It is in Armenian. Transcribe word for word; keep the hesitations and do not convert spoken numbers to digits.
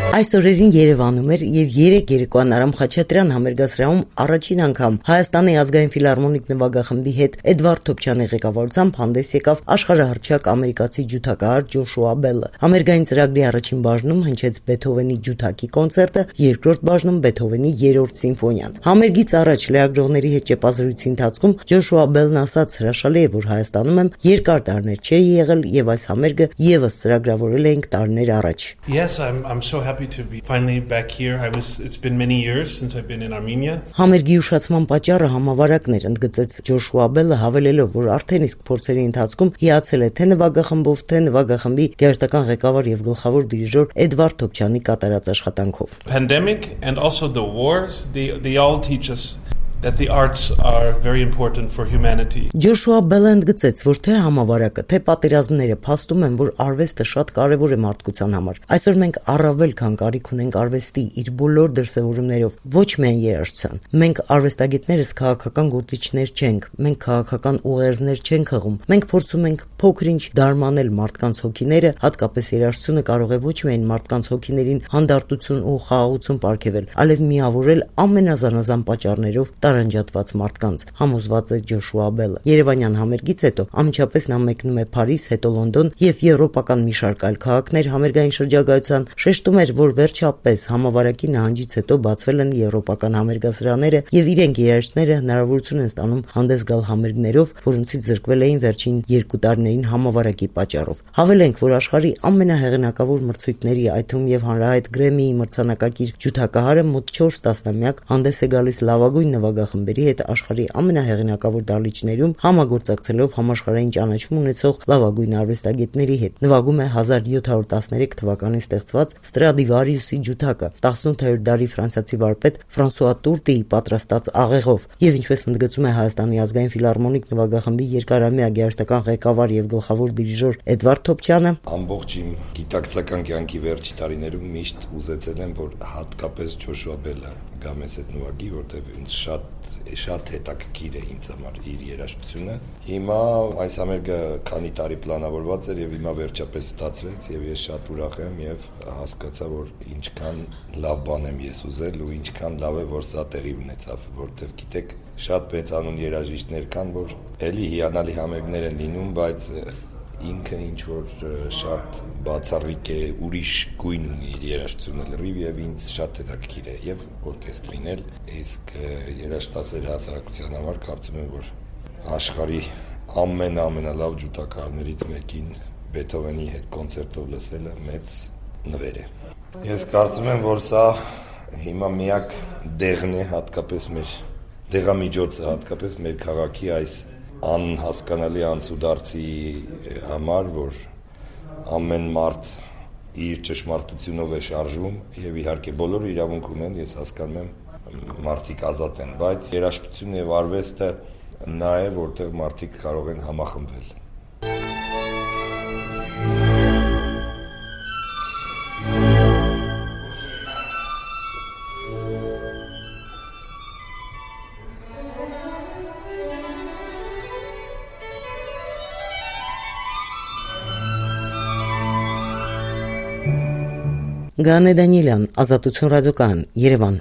Այս օրերին Երևանում էր եւ երեք երեկոյան Արամ Խաչատրյան համերգասրահում առաջին անգամ Հայաստանի ազգային ֆիլհարմոնիկ նվագախմբի հետ Էդվարդ Թոփչյանի ղեկավարությամբ հանդես եկավ աշխարհահռչակ ամերիկացի ջութակահար Ջոշուա Բելը։ Համերգային ծրագրի առաջին բաժնում հնչեց Բեթհովենի ջութակի կոնցերտը, երկրորդ բաժնում Բեթհովենի երրորդ սիմֆոնիան։ Համերգից առաջ լրագրողների հետ ճեպազրույցի ընթացքում Ջոշուա Բելն ասաց, հրաշալի է, որ Հայաստանում եմ երկար տարիներ չէի եղել եւ այս համերգը եւս ծրագրավորել էինք տարիներ առաջ։ Yes, I'm I'm so happy to be finally back here. I was it's been many years since I've been in Armenia. Համերգի ուշացման պատճառը համավարակներ, ընդգծեց Ջոշուա Բելը, հավելելով, որ արդեն իսկ փորձերի ընթացքում հիացել է թե նվագախմբով, թե նվագախմբի գերստական ղեկավար եւ գլխավոր դիրիժոր Էդվարդ Թոփչյանի կատարած աշխատանքով։ Pandemic and also the wars, they they all teach us that the arts are very important for humanity. Ջոշուա Բելը ընդգծեց, որ թե համավարակը, թե պատերազմները փաստում են, որ արվեստը շատ կարևոր է մարդկության համար։ Այսօր մենք առավել քան կարիք ունենք արվեստի իր բոլոր դրսևորումներով, ոչ միայն երաժշտության։ Մենք արվեստագետներս քաղաքական գործիչներ չենք, մենք քաղաքական ուղերձներ չենք հղում։ Մենք փորձում ենք փոքր-ինչ դարմանել մարդկանց հոգիները, հատկապես երաժշտությունը կարող է ոչ միայն մարդկանց հոգիներին հանդարտություն ու խաղաղություն պարգևել, այլև միավորել ամենազանազան պատճառներով տարանջատված մարդկանց, համոզված է Ջոշուա Բելը։ Երևանյան համերգից հետո ամիջապես նա մեկնում է Փարիզ, հետո Լոնդոն եւ եվրոպական մի շարք այլ քաղաքներ համերգային շրջագայության, շեշտում էր, որ վերջապես համավարակի նահանջից հետո բացվել են եվրոպական համերգասրահները եւ իրենք երաժիշտները հնարավորություն են ստանում հանդես գալ համերգներով, որոնցից զրկվել էին վերջին երկու տարիներին համավարակի պատճառով։ Հավելենք, որ աշխարհի ամենահեղինակավոր մրցույթների, այդ թվում եւ հանրահայտ Գրեմմիի մրցանակակիր ջութակահարը մոտ չորս տասնամյակ հանդես է գալիս լավագույն նվագախմբերի հետ աշխարհի ամենահեղինակավոր դահլիճներում, համագործակցելով համաշխարհային ճանաչում ունեցող լավագույն արվեստագետների հետ։ Նվագում է հազար յոթ հարյուր տասներեք թվականին ստեղծված Ստրադիվարիուսի ջութակը, տասնութերորդ դարի ֆրանսիացի վարպետ Ֆրանսուଆ Տուրտիի պատրաստած աղեղով, եւ ինչպես ընդգծում է Հայաստանի ազգային ֆիլհարմոնիկ նվագախմբի երկարամյա գերստական ղեկավար եւ գլխավոր դիրիժոր Էդվարդ Թոփչյանը, ամբողջ իմ գիտակցական կյանքի վերջի տարիներում միշտ ուզեցել եմ, որ հատկապես Ջոշուա Բելը գա մեզ հետ նվագի, որտեղ ինձ շատ շատ հետաքրքիր է ինձ համար իր երաժշտությունը։ Հիմա այս համերգը քանի տարի պլանավորված էր եւ հիմա վերջապես ստացվեց եւ ես շատ ուրախ եմ եւ հասկացա, որ ինչքան լավ բան եմ ես ուզել ու ինչքան լավ է, որ սա տեղի ունեցավ, որտեղ գիտեք, շատ մեծանուն երաժիշտներ կան, որ էլի հիանալի համերգներ են լինում, բայց ինքը ինչ որ շատ բացառիկ է, ուրիշ գույն ունի իր երաժշտությունը լրիվ եւ ինձ շատ հետաքրքիր է եւ օրկեստրին էլ, իսկ երաժշտասեր հասարակության համար կարծում եմ, որ աշխարհի ամեն ամենալավ ջութակահարներից մեկին Բեթհովենի հետ կոնցերտով լսելը մեծ նվեր է։ Ես կարծում եմ, որ սա հիմա միակ դեղն է, հատկապես մեր դեղամիջոցը, հատկապես մեր քաղաքի այս անհասկանալի անցուդարձի համար, որ ամեն մարդ իր ճշմարտությունով է շարժվում եւ իհարկե բոլորը իրավունք ունեն, ես հասկանում եմ մարդիկ ազատ են, բայց երաժշտությունը եւ արվեստը նա է, որտեղ մարդիկ կարող են համախմբվել։ Գանե Դանիելյան, Ազատություն ռադիոկայան, Երևան։